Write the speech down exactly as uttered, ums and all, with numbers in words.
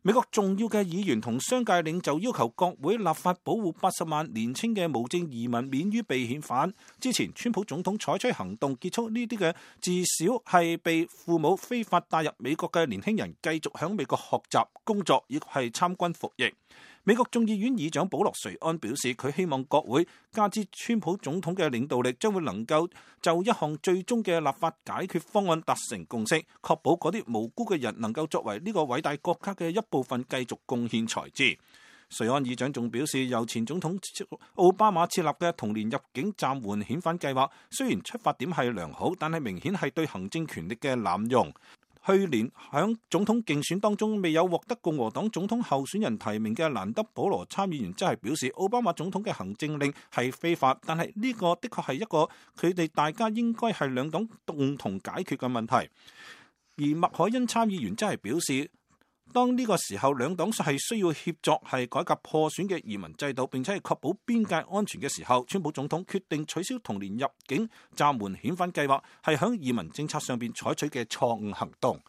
美國重要嘅議員同商界領袖要求國會立法保護八十萬年輕嘅無證移民免於被遣返。之前，川普總統採取行動結束呢啲嘅至少係被父母非法帶入美國嘅年輕人繼續喺美國學習、工作，亦係參軍服役。美國眾議院議長保羅·瑞安表示，佢希望國會加之川普總統嘅領導力，將會能夠就一項最終嘅立法解決方案達成共識，確保嗰啲無辜嘅人能夠作為呢個偉大國家嘅一部分繼續貢獻才智。瑞安議長仲表示，由前總統奧巴馬設立嘅童年入境暫緩遣返計劃，雖然出發點係良好，但係明顯係對行政權力嘅濫用。去年響總統競選當中未有獲得共和黨總統候選人提名嘅蘭德保羅參議員，則係表示奧巴馬總統嘅行政令係非法，但係呢個的確係一個佢哋大家應該係兩黨共同解決嘅問題。而麥凱恩參議員則係表示，當呢個時候兩黨係需要協作係改革破損嘅移民制度，並且係確保邊界安全嘅時候，川普總統決定取消童年入境暫緩遣返計劃，係響移民政策上邊採取嘅錯誤行動。